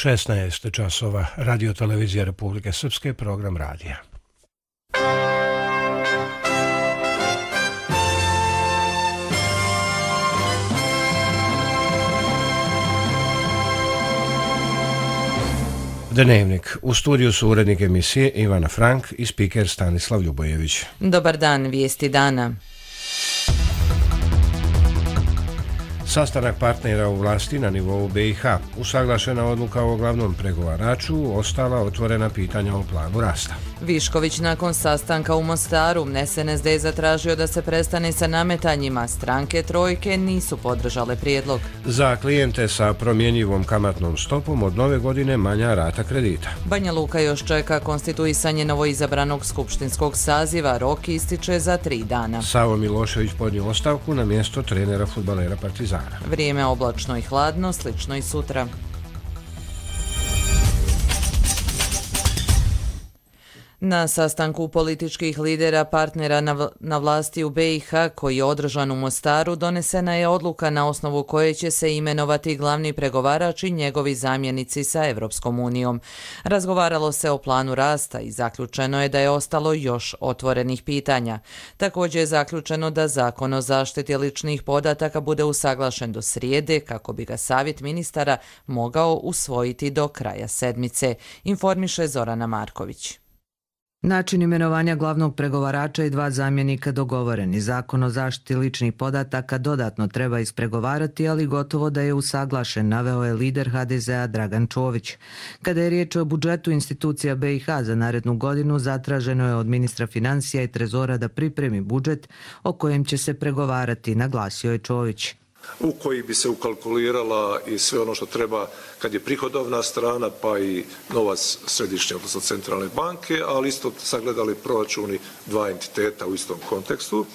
16 časova, Radio televizija Republike Srpske, program radija. Dnevnik. U studiju su urednik emisije Ivana Frank i spiker Stanislav Ljubojević. Dobar dan, vijesti dana. Sastanak partnera u vlasti na nivou BiH. Usaglašena odluka o glavnom pregovaraču, ostala otvorena pitanja o planu rasta. Višković nakon sastanka u Mostaru. SNSD je zatražio da se prestane sa nametanjima. Stranke trojke nisu podržale prijedlog. Za klijente sa promjenjivom kamatnom stopom od nove godine manja rata kredita. Banja Luka još čeka konstituisanje novoizabranog skupštinskog saziva. Rok ističe za 3 dana. Savo Milošević podnio ostavku na mjesto trenera fudbalera Partizana. Vrijeme oblačno i hladno, slično i sutra. Na sastanku političkih lidera partnera na vlasti u BiH koji je održan u Mostaru donesena je odluka na osnovu koje će se imenovati glavni pregovarač i njegovi zamjenici sa Evropskom unijom. Razgovaralo se o planu rasta i zaključeno je da je ostalo još otvorenih pitanja. Također je zaključeno da zakon o zaštiti ličnih podataka bude usaglašen do srijede kako bi ga savjet ministara mogao usvojiti do kraja sedmice, informiše Zorana Marković. Način imenovanja glavnog pregovarača i 2 zamjenika dogovoreni. Zakon o zaštiti ličnih podataka dodatno treba ispregovarati, ali gotovo da je usaglašen, naveo je lider HDZ-a Dragan Čović. Kada je riječ o budžetu institucija BiH za narednu godinu, zatraženo je od ministra financija i trezora da pripremi budžet o kojem će se pregovarati, naglasio je Čović. U koji bi se ukalkulirala i sve ono što treba kad je prihodovna strana, pa i novac središnje, odnosno centralne banke, ali isto sagledali proračuni 2 entiteta u istom kontekstu,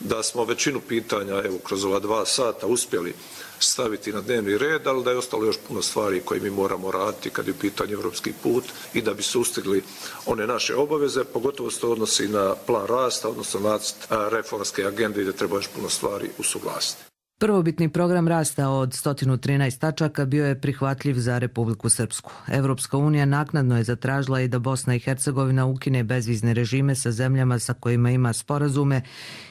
da smo većinu pitanja kroz ova 2 sata uspjeli staviti na dnevni red, ali da je ostalo još puno stvari koje mi moramo raditi kad je u pitanju evropski put i da bi sustigli one naše obaveze, pogotovo se to odnosi na plan rasta, odnosno nacrt reformske agende i da treba još puno stvari usuglasiti. Prvobitni program rasta od 113 tačaka bio je prihvatljiv za Republiku Srpsku. Evropska unija naknadno je zatražila i da Bosna i Hercegovina ukine bezvizne režime sa zemljama sa kojima ima sporazume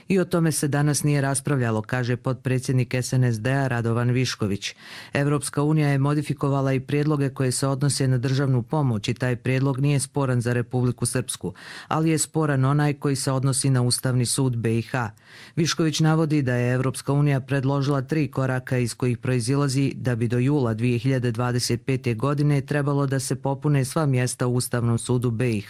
i o tome se danas nije raspravljalo, kaže potpredsjednik SNSD-a Radovan Višković. Evropska unija je modifikovala i prijedloge koje se odnose na državnu pomoć i taj prijedlog nije sporan za Republiku Srpsku, ali je sporan onaj koji se odnosi na Ustavni sud BiH. Višković navodi da je Evropska unija predložila 3 koraka iz kojih proizilazi da bi do jula 2025. godine trebalo da se popune sva mjesta u Ustavnom sudu BiH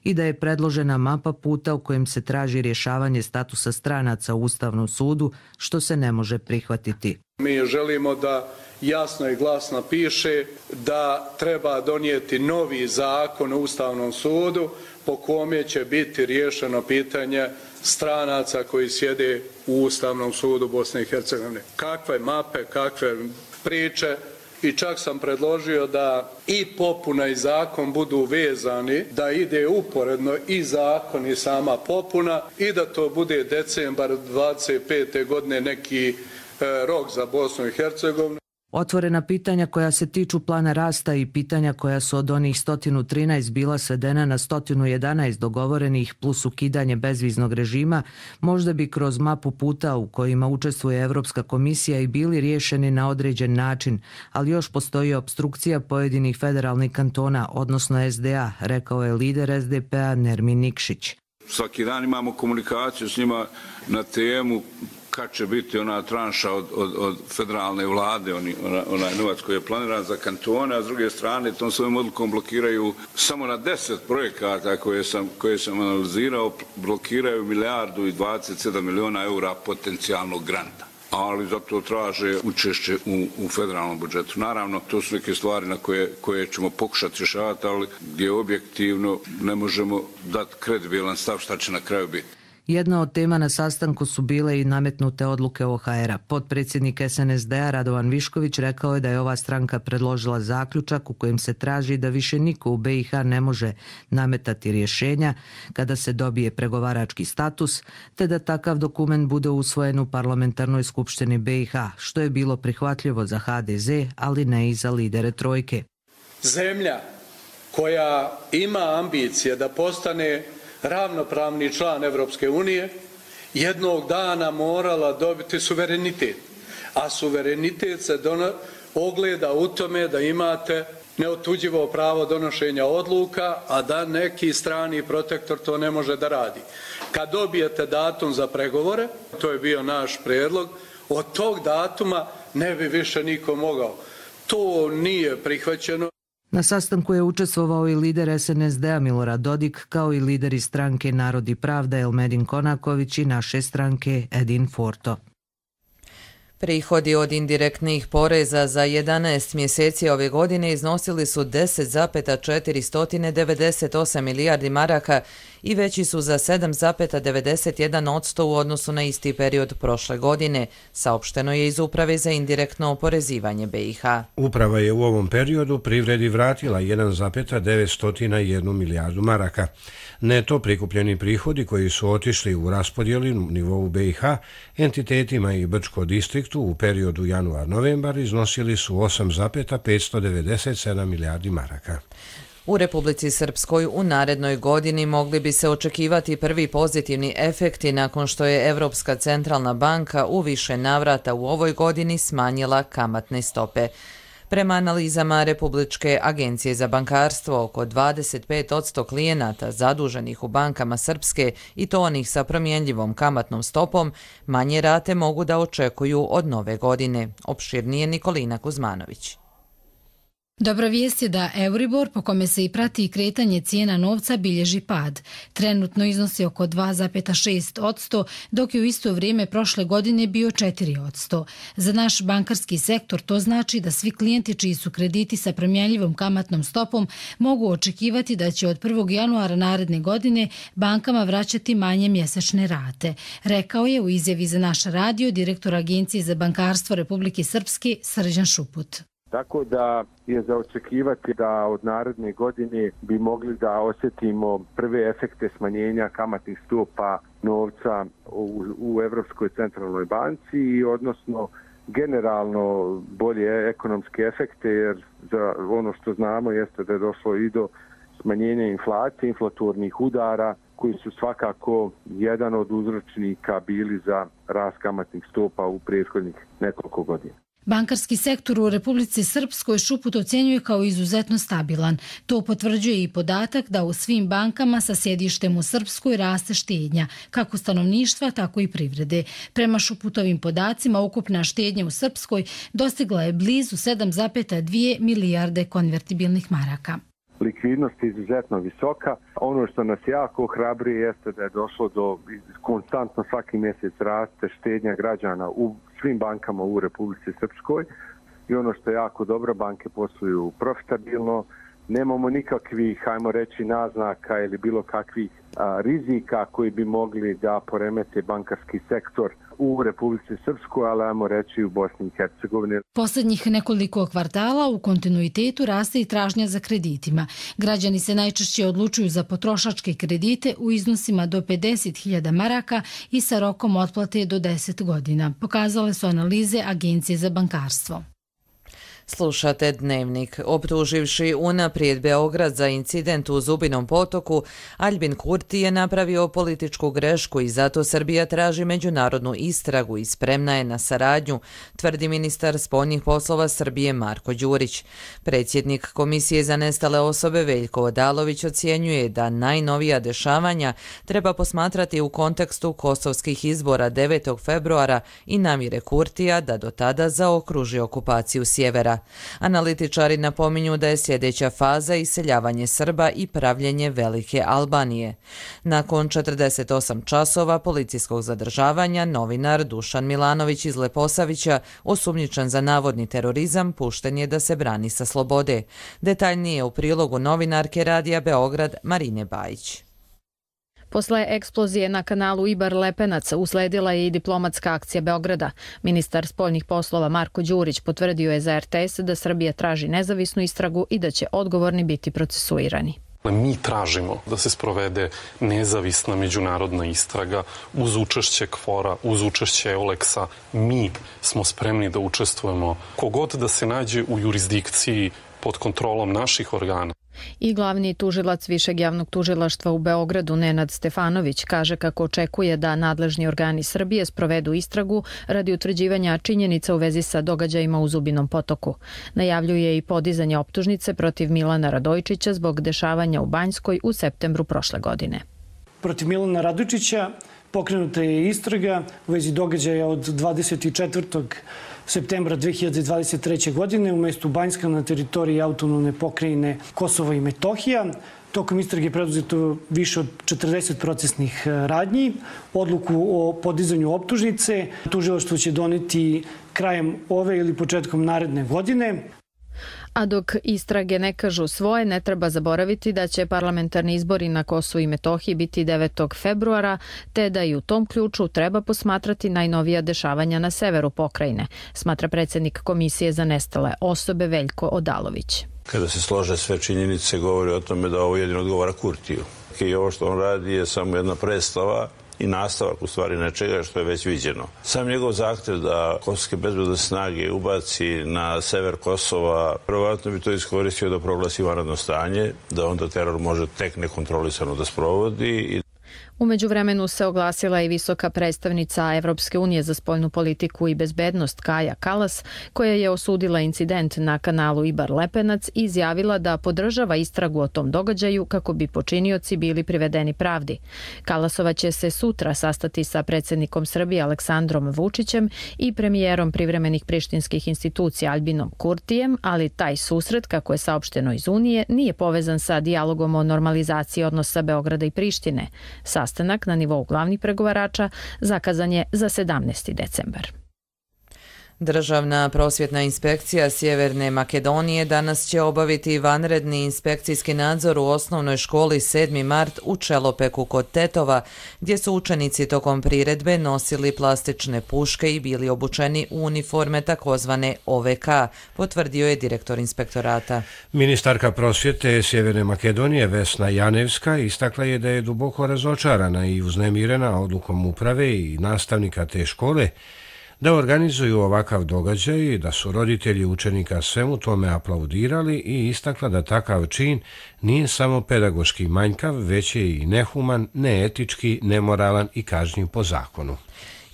i da je predložena mapa puta u kojem se traži rješavanje statusa stranaca u Ustavnom sudu, što se ne može prihvatiti. Mi želimo da jasno i glasno piše da treba donijeti novi zakon o Ustavnom sudu po kome će biti riješeno pitanje stranaca koji sjede u Ustavnom sudu Bosne i Hercegovine. Kakve mape, kakve priče, i čak sam predložio da i popuna i zakon budu vezani, da ide uporedno i zakon i sama popuna i da to bude decembar 25. godine neki rok za Bosnu i Hercegovinu. Otvorena pitanja koja se tiču plana rasta i pitanja koja su od onih 113 bila svedena na 111 dogovorenih plus ukidanje bezviznog režima, možda bi kroz mapu puta u kojima učestvuje Evropska komisija i bili riješeni na određen način, ali još postoji opstrukcija pojedinih federalnih kantona, odnosno SDA, rekao je lider SDP-a Nermin Nikšić. Svaki dan imamo komunikaciju s njima na temu kad će biti ona tranša od federalne vlade, onaj novac koji je planiran za kantone, a s druge strane tom svojom odlukom blokiraju samo na 10 projekata koje sam analizirao, blokiraju 1,27 milijardi eura potencijalnog granta. Ali zato traže učešće u federalnom budžetu. Naravno, to su neke stvari na koje ćemo pokušati rješavati, ali gdje objektivno ne možemo dati kredibilan stav šta će na kraju biti. Jedna od tema na sastanku su bile i nametnute odluke OHR-a. Potpredsjednik SNSD-a Radovan Višković rekao je da je ova stranka predložila zaključak u kojem se traži da više niko u BiH ne može nametati rješenja kada se dobije pregovarački status, te da takav dokument bude usvojen u parlamentarnoj skupštini BiH, što je bilo prihvatljivo za HDZ, ali ne i za lidere trojke. zemlja koja ima ambicije da postane ravnopravni član Europske unije jednog dana morala dobiti suverenitet. A suverenitet se ogleda u tome da imate neotuđivo pravo donošenja odluka, a da neki strani protektor to ne može da radi. Kad dobijete datum za pregovore, to je bio naš prijedlog, od tog datuma ne bi više niko mogao. To nije prihvaćeno. Na sastanku je učestvovao i lider SNSD-a Milorad Dodik, kao i lideri stranke Narod i pravda Elmedin Konaković i naše stranke Edin Forto. Prihodi od indirektnih poreza za 11 mjeseci ove godine iznosili su 10,498 milijardi maraka i veći su za 7,91% u odnosu na isti period prošle godine, saopšteno je iz Uprave za indirektno oporezivanje BiH. Uprava je u ovom periodu privredi vratila 1,901 milijardu maraka. Neto prikupljeni prihodi koji su otišli u raspodjeli u nivou BiH entitetima i Brčko distriktu u periodu januar-novembar iznosili su 8,597 milijardi maraka. U Republici Srpskoj u narednoj godini mogli bi se očekivati prvi pozitivni efekti nakon što je Evropska centralna banka u više navrata u ovoj godini smanjila kamatne stope. Prema analizama Republičke agencije za bankarstvo, oko 25% klijenata zaduženih u bankama Srpske i to onih sa promjenljivom kamatnom stopom manje rate mogu da očekuju od nove godine. Opširnije Nikolina Kuzmanović. Dobra vijest je da Euribor, po kome se i prati kretanje cijena novca, bilježi pad. Trenutno iznosi oko 2,6%, dok je u isto vrijeme prošle godine bio 4%. Za naš bankarski sektor to znači da svi klijenti čiji su krediti sa promjenljivom kamatnom stopom mogu očekivati da će od 1. januara naredne godine bankama vraćati manje mjesečne rate. Rekao je u izjavi za naš radio direktor Agencije za bankarstvo Republike Srpske Srđan Šuput. Tako da je za očekivati da od naredne godine bi mogli da osjetimo prve efekte smanjenja kamatnih stopa novca u Evropskoj centralnoj banci i odnosno generalno bolje ekonomske efekte, jer za ono što znamo jeste da je došlo i do smanjenja inflacije, inflatornih udara koji su svakako jedan od uzročnika bili za rast kamatnih stopa u prethodnih nekoliko godina. Bankarski sektor u Republici Srpskoj Šuput ocjenjuje kao izuzetno stabilan. To potvrđuje i podatak da u svim bankama sa sjedištem u Srpskoj raste štednja, kako stanovništva, tako i privrede. Prema Šuputovim podacima, ukupna štednja u Srpskoj dostigla je blizu 7,2 milijarde konvertibilnih maraka. Likvidnost je izuzetno visoka. Ono što nas jako ohrabruje jeste da je došlo do konstantno svaki mjesec raste štednja građana u svim bankama u Republici Srpskoj i ono što je jako dobro, banke posluju profitabilno, nemamo nikakvih, hajmo reći, naznaka ili bilo kakvih rizika koji bi mogli da poremete bankarski sektor u Republici Srpskoj, ali ajmo reći u Bosni i Hercegovini. Posljednjih nekoliko kvartala u kontinuitetu raste i tražnja za kreditima. Građani se najčešće odlučuju za potrošačke kredite u iznosima do 50.000 maraka i sa rokom otplate do 10 godina. Pokazale su analize Agencije za bankarstvo. Slušate Dnevnik. Optuživši unaprijed Beograd za incident u Zubinom potoku, Aljbin Kurti je napravio političku grešku i zato Srbija traži međunarodnu istragu i spremna je na saradnju, tvrdi ministar spoljnih poslova Srbije Marko Đurić. Predsjednik Komisije za nestale osobe Veljko Odalović ocjenjuje da najnovija dešavanja treba posmatrati u kontekstu kosovskih izbora 9. februara i namjere Kurtija da do tada zaokruži okupaciju sjevera. Analitičari napominju da je sljedeća faza iseljavanje Srba i pravljenje Velike Albanije. Nakon 48 časova policijskog zadržavanja, novinar Dušan Milanović iz Leposavića, osumnjičen za navodni terorizam, pušten je da se brani sa slobode. Detaljnije u prilogu novinarke Radija Beograd Marine Bajić. Posle eksplozije na kanalu Ibar-Lepenac usledila je i diplomatska akcija Beograda. Ministar spoljnih poslova Marko Đurić potvrdio je za RTS da Srbija traži nezavisnu istragu i da će odgovorni biti procesuirani. Mi tražimo da se sprovede nezavisna međunarodna istraga uz učešće KFOR-a, uz učešće EULEX-a. Mi smo spremni da učestvujemo kogod da se nađe u jurisdikciji pod kontrolom naših organa. I glavni tužilac Višeg javnog tužilaštva u Beogradu Nenad Stefanović kaže kako očekuje da nadležni organi Srbije sprovedu istragu radi utvrđivanja činjenica u vezi sa događajima u Zubinom Potoku. Najavljuje i podizanje optužnice protiv Milana Radojčića zbog dešavanja u Banjskoj u septembru prošle godine. Protiv Milana Radojčića pokrenuta je istraga u vezi događaja od 24. septembra 2023. godine u mestu Banjska na teritoriji autonomne pokrajine Kosovo i Metohija. Tokom istrage je preduzeto više od 40 procesnih radnji. Odluku o podizanju optužnice tužilaštvo će doneti krajem ove ili početkom naredne godine. A dok istrage ne kažu svoje, ne treba zaboraviti da će parlamentarni izbori na Kosovu i Metohiji biti 9. februara, te da i u tom ključu treba posmatrati najnovija dešavanja na severu pokrajine, smatra predsjednik Komisije za nestale osobe Veljko Odalović. Kada se slože sve činjenice, govori o tome da ovo jedino odgovara Kurtiju. I ovo što on radi je samo jedna predstava i nastavak u stvari nečega što je već viđeno. Sam njegov zahtev da kosovske bezbednosne snage ubaci na sever Kosova, verovatno bi to iskoristio da proglasi vanredno stanje, da onda teror može tek nekontrolisano da sprovodi. U međuvremenu se oglasila i visoka predstavnica Evropske unije za spoljnu politiku i bezbednost Kaja Kallas, koja je osudila incident na kanalu Ibar-Lepenac i izjavila da podržava istragu o tom događaju kako bi počinioci bili privedeni pravdi. Kallasova će se sutra sastati sa predsjednikom Srbije Aleksandrom Vučićem i premijerom privremenih prištinskih institucija Albinom Kurtijem, ali taj susret, kako je saopšteno iz Unije, nije povezan sa dijalogom o normalizaciji odnosa Beograda i Prištine. Sastanak na nivou glavnih pregovarača zakazan je za 17. decembar. Državna prosvjetna inspekcija Sjeverne Makedonije danas će obaviti vanredni inspekcijski nadzor u osnovnoj školi 7. mart u Čelopeku kod Tetova, gdje su učenici tokom priredbe nosili plastične puške i bili obučeni u uniforme takozvane OVK, potvrdio je direktor inspektorata. Ministarka prosvjete Sjeverne Makedonije Vesna Janevska istakla je da je duboko razočarana i uznemirena odlukom uprave i nastavnika te škole da organizuju ovakav događaj i da su roditelji učenika svemu tome aplaudirali i istakla da takav čin nije samo pedagoški manjkav, već je i nehuman, neetički, nemoralan i kažnjiv po zakonu.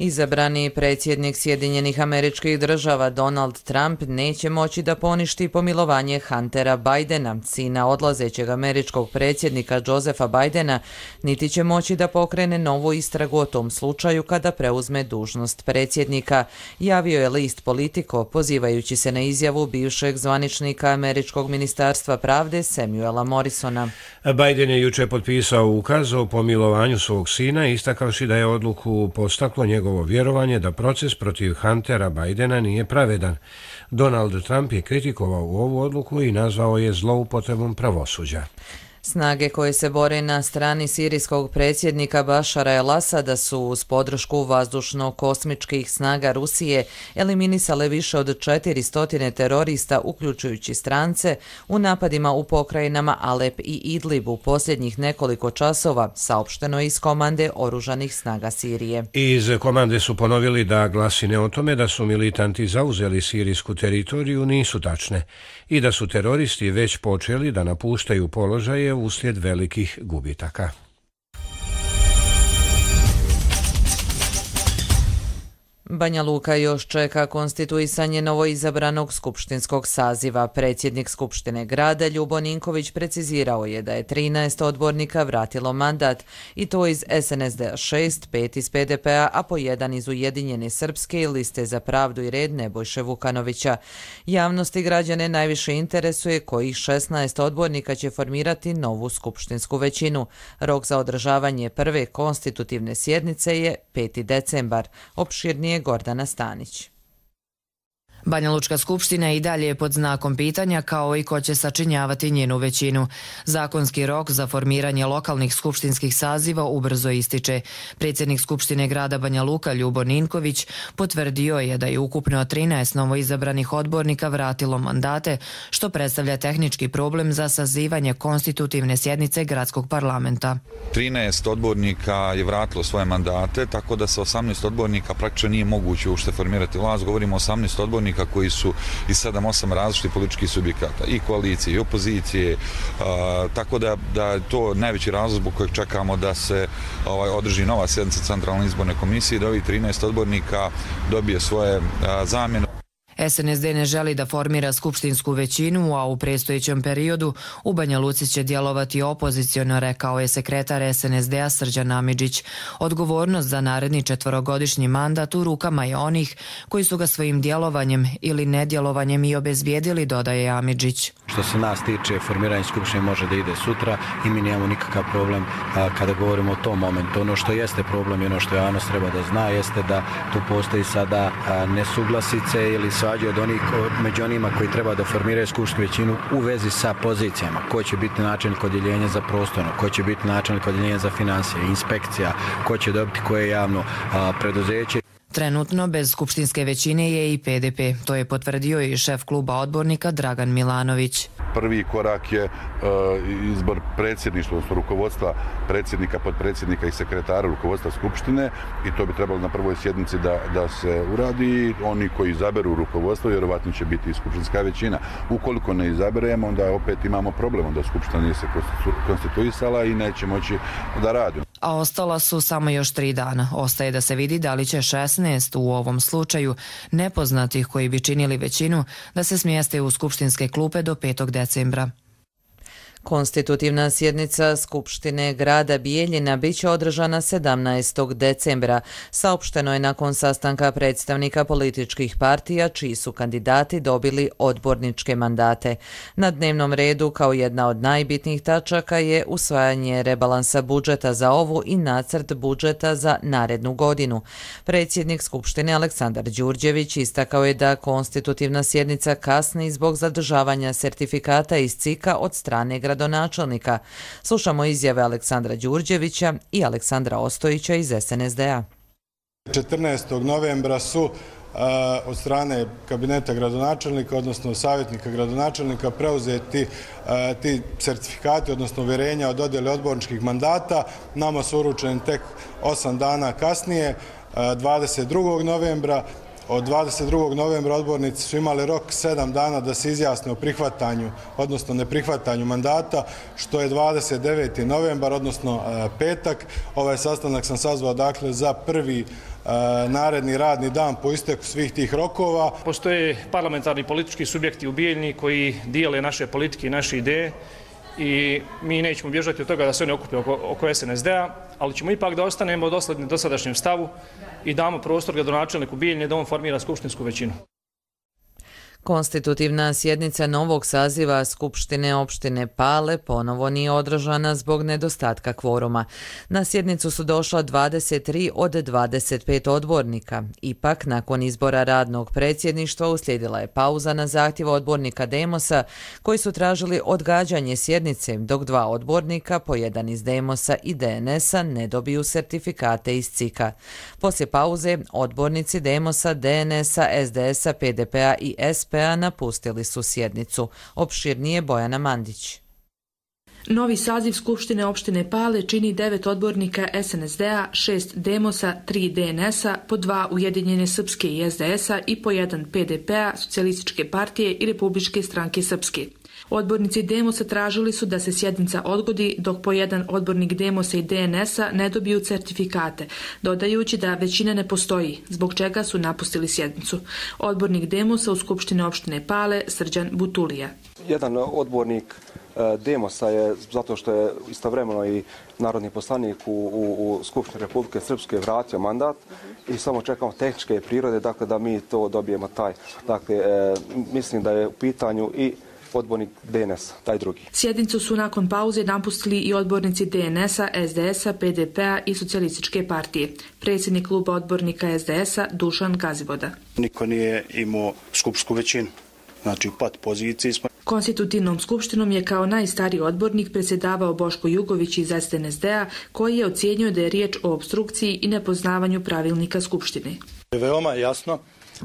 Izabrani predsjednik Sjedinjenih Američkih Država Donald Trump neće moći da poništi pomilovanje Huntera Bidena, sina odlazećeg američkog predsjednika Josepha Bidena, niti će moći da pokrene novu istragu o tom slučaju kada preuzme dužnost predsjednika, javio je list Politico, pozivajući se na izjavu bivšeg zvaničnika Američkog ministarstva pravde Samuela Morrisona. Biden je juče potpisao ukaz o pomilovanju svog sina, istakavši da je odluku postaklo njegovo vjerovanje da proces protiv Huntera Bidena nije pravedan. Donald Trump je kritikovao ovu odluku i nazvao je zloupotrebom pravosuđa. Snage koje se bore na strani sirijskog predsjednika Bašara el-Asada su uz podršku vazdušno-kosmičkih snaga Rusije eliminisale više od 400 terorista, uključujući strance, u napadima u pokrajinama Alep i Idlib u posljednjih nekoliko časova, saopšteno iz komande oružanih snaga Sirije. Iz komande su ponovili da glasine o tome da su militanti zauzeli sirijsku teritoriju nisu tačne i da su teroristi već počeli da napuštaju položaje uslijed velikih gubitaka. Banja Luka još čeka konstituisanje novoizabranog skupštinskog saziva. Predsjednik Skupštine grada Ljubo Ninković precizirao je da je 13 odbornika vratilo mandat, i to iz SNSD-a 6, 5 iz PDP-a, a po 1 iz Ujedinjene Srpske i Liste za pravdu i red Nebojše Vukanovića. Javnost i građane najviše interesuje kojih 16 odbornika će formirati novu skupštinsku većinu. Rok za održavanje prve konstitutivne sjednice je 5. decembar. Opširnije Gordana Stanić. Banja Lučka skupština i dalje je pod znakom pitanja kao i ko će sačinjavati njenu većinu. Zakonski rok za formiranje lokalnih skupštinskih saziva ubrzo ističe. Predsjednik Skupštine grada Banja Luka Ljubo Ninković potvrdio je da je ukupno 13 novoizabranih odbornika vratilo mandate, što predstavlja tehnički problem za sazivanje konstitutivne sjednice gradskog parlamenta. 13 odbornika je vratilo svoje mandate, tako da sa 18 odbornika praktično nije moguće uopšte formirati vlast. Govorimo o 18 odbornika odbornika koji su iz 7-8 različitih političkih subjekata, i koalicije, i opozicije, tako da je to najveći razlog zbog kojeg čekamo da se održi nova sjednica Centralne izborne komisije i da ovih 13 odbornika dobije svoje zamjene. SNSD ne želi da formira skupštinsku većinu, a u predstojećem periodu u Banja Luci će djelovati opoziciono, rekao je sekretar SNSD-a Srđan Amidžić. Odgovornost za naredni 4-godišnji mandat u rukama je onih koji su ga svojim djelovanjem ili nedjelovanjem i obezbijedili, dodaje Amidžić. Što se nas tiče, formiranje skupštine može da ide sutra i mi nemamo nikakav problem kada govorimo o tom momentu. Ono što jeste problem i ono što javnost treba da zna jeste da tu postoji sada nesuglasice ili svađe od onih među onima koji treba da formiraju skupštinsku većinu u vezi sa pozicijama. Ko će biti načelnik odjeljenja za prostorno, ko će biti načelnik odjeljenja za financije, inspekcija, ko će dobiti koje javno preduzeće. Trenutno bez skupštinske većine je i PDP. To je potvrdio i šef kluba odbornika Dragan Milanović. Prvi korak je izbor predsjedništva, odnosno rukovodstva predsjednika, potpredsjednika i sekretara rukovodstva skupštine i to bi trebalo na prvoj sjednici da se uradi. Oni koji izaberu rukovodstvo vjerovatno će biti i skupštinska većina. Ukoliko ne izaberemo, onda opet imamo problem, onda skupština nije se konstituisala i neće moći da radi. A ostala su samo još 3 dana. Ostaje da se vidi da li će 16 u ovom slučaju nepoznatih koji bi činili većinu da se smjeste u skupštinske klupe do 5. decembra. Konstitutivna sjednica Skupštine grada Bijeljina biće održana 17. decembra. Saopšteno je nakon sastanka predstavnika političkih partija čiji su kandidati dobili odborničke mandate. Na dnevnom redu kao jedna od najbitnijih tačaka je usvajanje rebalansa budžeta za ovu i nacrt budžeta za narednu godinu. Predsjednik Skupštine Aleksandar Đurđević istakao je da konstitutivna sjednica kasni zbog zadržavanja sertifikata iz CIK-a od strane gradonačelnika. Slušamo izjave Aleksandra Đurđevića i Aleksandra Ostojića iz SNSD-a. 14. novembra su od strane kabineta gradonačelnika, odnosno savjetnika gradonačelnika, preuzeti ti sertifikati, odnosno uvjerenja o dodjeli odborničkih mandata. Nama su uručeni tek 8 dana kasnije, 22. novembra. Od 22. novembra odbornici su imali rok 7 dana da se izjasne o prihvatanju, odnosno neprihvatanju mandata, što je 29. novembar, odnosno petak. Ovaj sastanak sam sazvao dakle za prvi naredni radni dan po isteku svih tih rokova. Postoje parlamentarni politički subjekti u Bijeljini koji dijele naše politike i naše ideje i mi nećemo bježati od toga da se oni okupe oko SNSD-a, ali ćemo ipak da ostanemo dosledni dosadašnjem stavu i damo prostor gradonačelniku Bijeljine da on formira skupštinsku većinu. Konstitutivna sjednica novog saziva Skupštine opštine Pale ponovo nije održana zbog nedostatka kvoruma. Na sjednicu su došla 23 od 25 odbornika. Ipak, nakon izbora radnog predsjedništva uslijedila je pauza na zahtjev odbornika Demosa koji su tražili odgađanje sjednice, dok 2 odbornika, po jedan iz Demosa i DNS-a, ne dobiju sertifikate iz CIK-a. Poslije pauze, odbornici Demosa, DNS-a, SDS-a, PDP-a i SP-a napustili su sjednicu. Opširnije Bojana Mandić. Novi saziv Skupštine opštine Pale čini 9 odbornika SNSD-a, 6 Demosa, 3 DNS-a, po 2 Ujedinjene Srpske i SDS-a i po 1 PDP-a, Socijalističke partije i Republičke stranke Srpske. Odbornici Demosa tražili su da se sjednica odgodi dok po jedan odbornik Demosa i DNS-a ne dobiju certifikate, dodajući da većina ne postoji, zbog čega su napustili sjednicu. Odbornik Demosa u Skupštine opštine Pale, Srđan Butulija. Jedan odbornik Demosa je, zato što je istovremeno i narodni poslanik u Skupštini Republike Srpske, vratio mandat i samo čekamo tehničke prirode, dakle da mi to dobijemo taj. Dakle, mislim da je u pitanju i odbornik DNS, taj drugi. Sjednicu su nakon pauze napustili i odbornici DNS-a, SDS-a, PDP-a i Socijalističke partije. Predsjednik kluba odbornika SDS-a Dušan Gazivoda. Niko nije imao skupštinsku većinu, znači u pat poziciji smo. Konstitutivnom skupštinom je kao najstariji odbornik predsjedavao Boško Jugović iz SNSD-a, koji je ocijenio da je riječ o opstrukciji i nepoznavanju pravilnika skupštine. Veoma jasno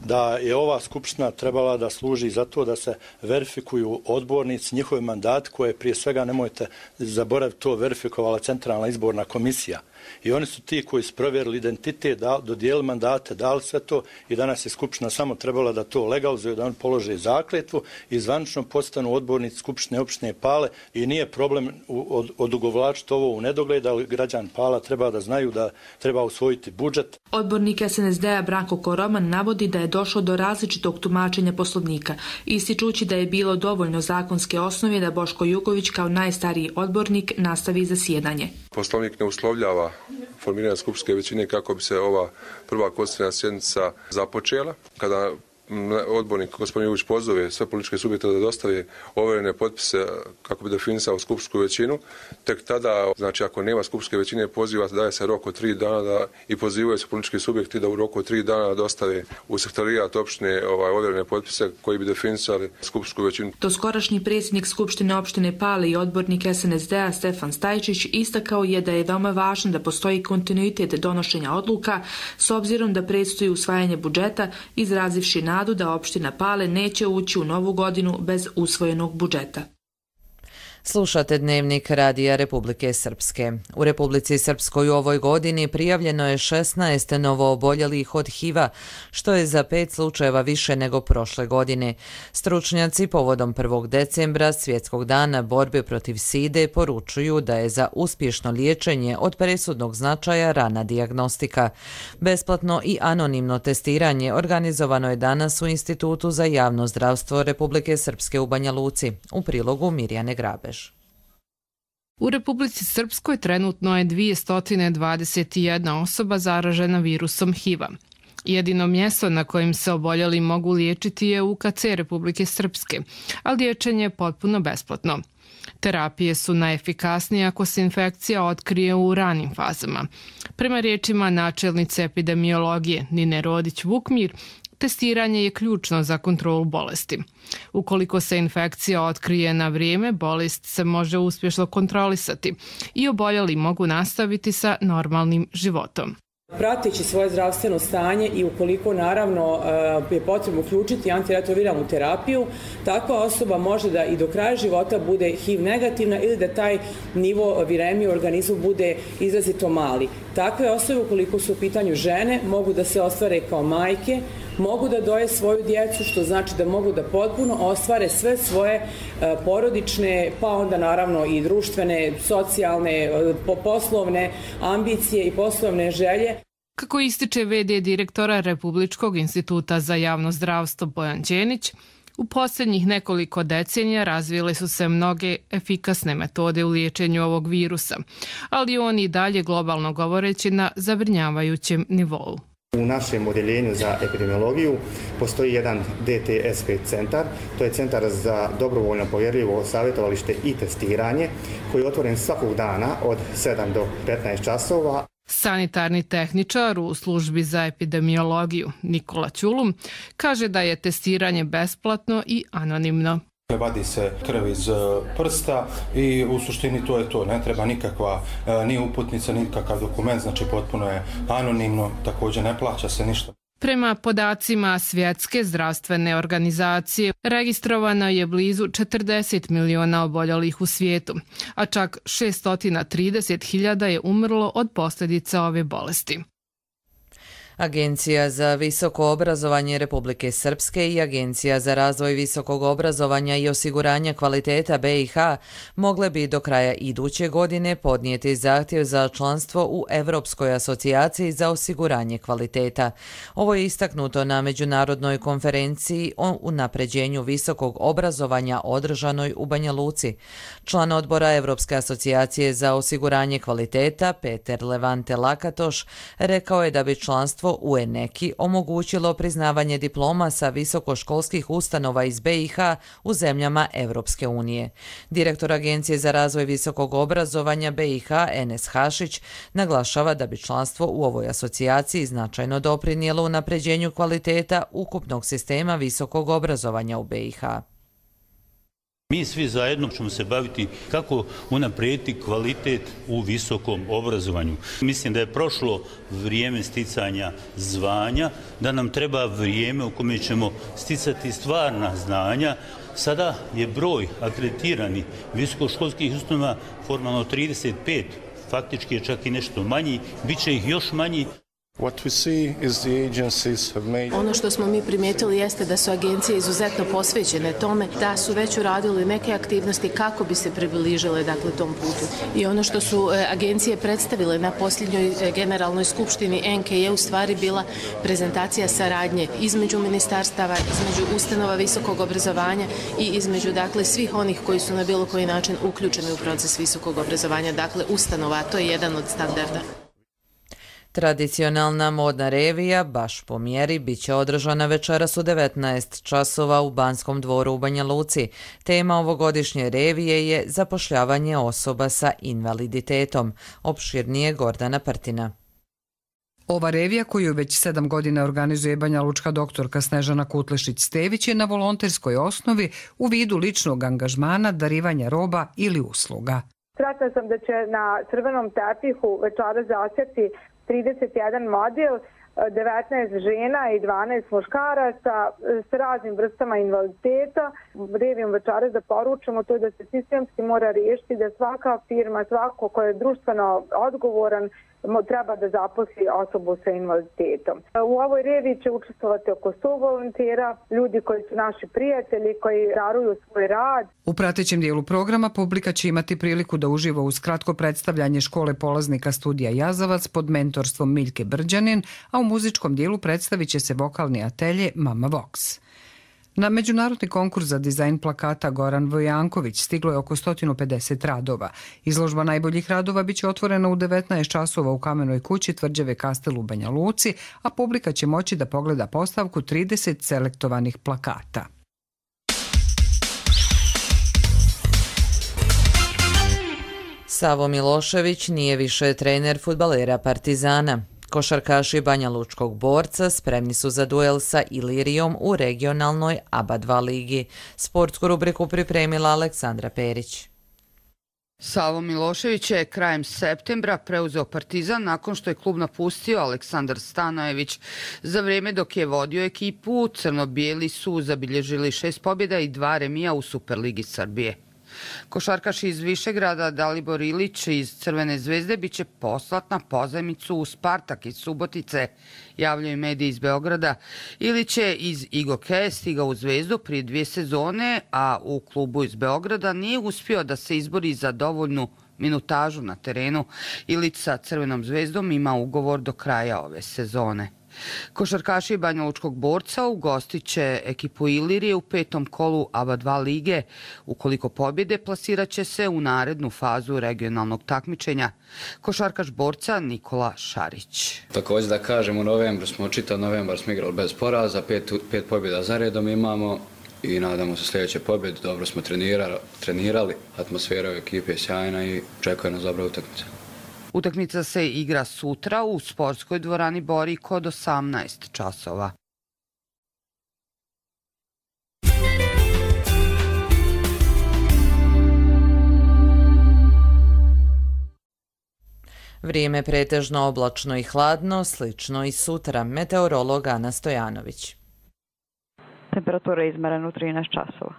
da je ova skupština trebala da služi za to da se verifikuju odbornici, njihovi mandati koje prije svega, nemojte zaboraviti, to verifikovala Centralna izborna komisija. I oni su ti koji su provjerili identitet, dodijelili mandate, dali sve to i danas je Skupština samo trebala da to legalizuje, da oni polože zakletvu i zvanično postanu odbornici Skupštine opštine Pale i nije problem odugovlačiti ovo u nedogled, ali građan Pala treba da znaju da treba usvojiti budžet. Odbornik SNSD-a Branko Koroman navodi da je došlo do različitog tumačenja Poslovnika, ističući da je bilo dovoljno zakonske osnove da Boško Jugović kao najstariji odbornik nastavi zasjedanje. Poslovnik ne uslovljava formiranje skupštinske većine kako bi se ova prva konstitutivna sjednica započela. Kada odbornik gospodin Jugović pozove sve političke subjekte da dostave overene potpise kako bi definisao skupštinsku većinu, tek tada, znači ako nema skupštinske većine, poziva, daje se rok od 3 dana i pozivaju se politički subjekti da u roku od 3 dana dostave u sekretarijat opštine overene potpise koji bi definisali skupštinsku većinu. Doskorašnji predsjednik Skupštine opštine Pale i odbornik SNSD-a Stefan Stajčić istakao je da je veoma važno da postoji kontinuitet donošenja odluka s obzirom da predstoji usvajanje budžeta, izrazivši nadu da opština Pale neće ući u novu godinu bez usvojenog budžeta. Slušate Dnevnik Radija Republike Srpske. U Republici Srpskoj u ovoj godini prijavljeno je 16 novooboljelih od HIV-a, što je za 5 slučajeva više nego prošle godine. Stručnjaci povodom 1. decembra, Svjetskog dana borbe protiv side, poručuju da je za uspješno liječenje od presudnog značaja rana dijagnostika. Besplatno i anonimno testiranje organizovano je danas u Institutu za javno zdravstvo Republike Srpske u Banja Luci. U prilogu Mirjane Grabež. U Republici Srpskoj trenutno je 221 osoba zaražena virusom HIV-a. Jedino mjesto na kojim se oboljeli mogu liječiti je UKC Republike Srpske, a liječenje je potpuno besplatno. Terapije su najefikasnije ako se infekcija otkrije u ranim fazama. Prema riječima načelnice epidemiologije Nine Rodić-Vukmir, testiranje je ključno za kontrolu bolesti. Ukoliko se infekcija otkrije na vrijeme, bolest se može uspješno kontrolisati i oboljeli mogu nastaviti sa normalnim životom. Prateći svoje zdravstveno stanje i ukoliko naravno je potrebno uključiti antiretroviralnu terapiju, takva osoba može da i do kraja života bude HIV negativna ili da taj nivo viremije u organizmu bude izrazito mali. Takve osobe, ukoliko su u pitanju žene, mogu da se ostvare kao majke, mogu da doje svoju djecu, što znači da mogu da potpuno ostvare sve svoje porodične, pa onda naravno i društvene, socijalne, poslovne ambicije i poslovne želje. Kako ističe v.d. direktora Republičkog instituta za javno zdravstvo Bojan Đenić, u posljednjih nekoliko decenija razvile su se mnoge efikasne metode u liječenju ovog virusa, ali on i dalje globalno govoreći na zabrinjavajućem nivou. U našem odjeljenju za epidemiologiju postoji jedan DTSP centar, to je centar za dobrovoljno povjerljivo savjetovalište i testiranje koji je otvoren svakog dana od 7 do 15 časova. Sanitarni tehničar u službi za epidemiologiju Nikola Ćulum kaže da je testiranje besplatno i anonimno. Vadi se krv iz prsta i u suštini to je to. Ne treba nikakva ni uputnica, nikakav dokument, znači potpuno je anonimno, također ne plaća se ništa. Prema podacima Svjetske zdravstvene organizacije, registrovano je blizu 40 miliona oboljelih u svijetu, a čak 630.000 je umrlo od posljedica ove bolesti. Agencija za visoko obrazovanje Republike Srpske i Agencija za razvoj visokog obrazovanja i osiguranja kvaliteta BiH mogle bi do kraja iduće godine podnijeti zahtjev za članstvo u Evropskoj asocijaciji za osiguranje kvaliteta. Ovo je istaknuto na međunarodnoj konferenciji o unapređenju visokog obrazovanja održanoj u Banja Luci. Član odbora Evropske asocijacije za osiguranje kvaliteta Peter Levante Lakatoš rekao je da bi članstvo u ENEKI omogućilo priznavanje diploma sa visokoškolskih ustanova iz BiH u zemljama Evropske unije. Direktor Agencije za razvoj visokog obrazovanja BiH Enes Hašić naglašava da bi članstvo u ovoj asocijaciji značajno doprinijelo unapređenju kvaliteta ukupnog sistema visokog obrazovanja u BiH. Mi svi zajedno ćemo se baviti kako unaprijediti kvalitet u visokom obrazovanju. Mislim da je prošlo vrijeme sticanja zvanja, da nam treba vrijeme u kome ćemo sticati stvarna znanja. Sada je broj akreditiranih visokoškolskih ustanova formalno 35 faktički je čak i nešto manji, bit će ih još manji. Ono što smo mi primijetili jeste da su agencije izuzetno posvećene tome, da su već uradili neke aktivnosti kako bi se približile tom putu. I ono što su agencije predstavile na posljednjoj generalnoj skupštini NK je u stvari bila prezentacija saradnje između ministarstava, između ustanova visokog obrazovanja i između svih onih koji su na bilo koji način uključeni u proces visokog obrazovanja, ustanova, a to je jedan od standarda. Tradicionalna modna revija, baš po mjeri, bit će održana večeras u 19 časova u Banskom dvoru u Banja Luci. Tema ovogodišnje revije je zapošljavanje osoba sa invaliditetom. Opširnije Gordana Prtina. Ova revija, koju već 7 godina organizuje Banja Lučka doktorka Snežana Kutlešić-Stević, je na volonterskoj osnovi u vidu ličnog angažmana, darivanja roba ili usluga. Sretna sam da će na crvenom tepihu večeras zasjeti 31 model, 19 žena i 12 muškaraca s raznim vrstama invaliditeta. Revijom večeras da poručimo to da se sistemski mora riješiti, da svaka firma, svako ko je društveno odgovoran, treba da zaposli osobu sa invaliditetom. U ovoj reviji će učestvovati oko 100 volontera, ljudi koji su naši prijatelji, koji daruju svoj rad. U pratećem dijelu programa publika će imati priliku da uživa uz kratko predstavljanje škole polaznika studija Jazavac pod mentorstvom Miljke Brđanin, a u muzičkom dijelu predstavit će se vokalni atelje Mama Vox. Na međunarodni konkurs za dizajn plakata Goran Vojanković stiglo je oko 150 radova. Izložba najboljih radova biće otvorena u 19 časova u Kamenoj kući Tvrđave Kastel u Banja Luci, a publika će moći da pogleda postavku 30 selektovanih plakata. Savo Milošević nije više trener fudbalera Partizana. Košarkaši Banja Lučkog Borca spremni su za duel sa Ilirijom u regionalnoj ABA 2 ligi. Sportsku rubriku pripremila Aleksandra Perić. Savo Milošević je krajem septembra preuzeo Partizan nakon što je klub napustio Aleksandar Stanojević. Za vrijeme dok je vodio ekipu, crno-bijeli su zabilježili 6 pobjeda i 2 remija u Superligi Srbije. Košarkaš iz Višegrada Dalibor Ilić iz Crvene zvezde biće poslat na pozajmicu u Spartak iz Subotice, javljaju mediji iz Beograda. Ilić je iz Igoke stigao u Zvezdu prije 2 sezone, a u klubu iz Beograda nije uspio da se izbori za dovoljnu minutažu na terenu. Ilić sa Crvenom zvezdom ima ugovor do kraja ove sezone. Košarkaši Banja Lučkog Borca ugostit će ekipu Ilirije u 5. kolu ABA 2 lige. Ukoliko pobjede, plasirat će se u narednu fazu regionalnog takmičenja. Košarkaš Borca Nikola Šarić. Također da kažem, u novembru smo, čitav novembar smo igrali bez poraza, 5 pobjeda za redom imamo i nadamo se sljedeće pobjede. Dobro smo trenirali, atmosfera u ekipi je sjajna i čekuje nas dobra utakmica. Utakmica se igra sutra u sportskoj dvorani Boriko od 18 časova. Vrijeme pretežno oblačno i hladno, slično i sutra. Meteorolog Ana Stojanović. Temperatura je izmerena u 13 časova.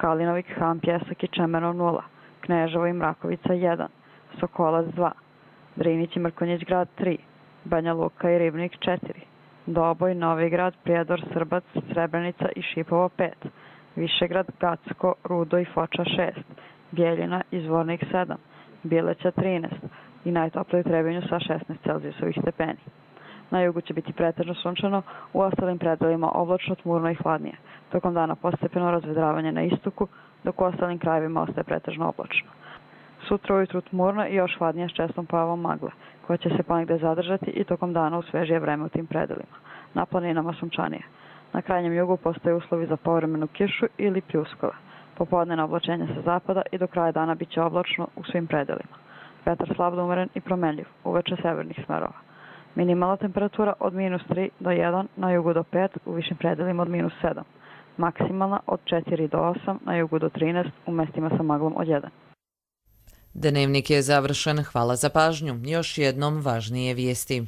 Kalinovik, Han, Pjesak i Čemerov 0. Kneževo i Mrakovica 1. Sokolac 2. Drinić i Mrkonjić grad 3, Banja Luka i Ribnik 4, Doboj, Novigrad, Prijedor, Srbac, Srebrenica i Šipovo 5, Višegrad, Gacko, Rudo i Foča 6, Bijeljina i Zvornik 7, Bileća 13 i najtoplije u Trebinju sa 16 Celzijusovih stepeni. Na jugu će biti pretežno sunčano, u ostalim predelima oblačno, tmurno i hladnije. Tokom dana postepeno razvedravanje na istoku, dok u ostalim krajevima ostaje pretežno oblačno. Sutra ujutru tmurno i još hladnije s čestom pojavom magle, koja će se ponegde zadržati i tokom dana u svežije vreme u tim predelima. Na planinama sunčanije. Na krajnjem jugu postoje uslovi za povremenu kišu ili pljuskove. Popodnevno oblačenje sa zapada i do kraja dana bit će oblačno u svim predelima. Vetar slab do umeren i promenljiv, uveče severnih smerova. Minimalna temperatura od -3 do 1, na jugu do 5, u višim predelima od -7. Maksimalna od 4 do 8, na jugu do 13, u mestima sa maglom od 1. Dnevnik je završen. Hvala za pažnju. Još jednom važnije vijesti.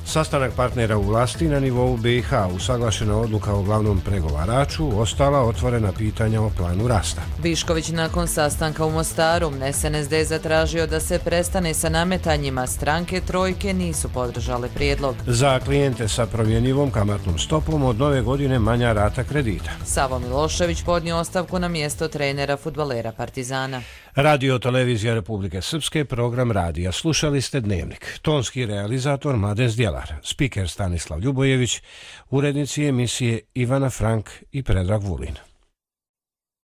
Sastanak partnera u vlasti na nivou BiH, usaglašena odluka o glavnom pregovaraču, ostala otvorena pitanja o planu rasta. Višković nakon sastanka u Mostaru, SNSD zatražio da se prestane sa nametanjima, stranke trojke nisu podržale prijedlog. Za klijente sa promjenjivom kamatnom stopom od nove godine manja rata kredita. Savo Milošević podnio ostavku na mjesto trenera fudbalera Partizana. Radio Televizija Republike Srpske, program radija. Slušali ste Dnevnik. Tonski realizator Mladen Zdjelar, spiker Stanislav Ljubojević, urednici emisije Ivana Frank i Predrag Vulin.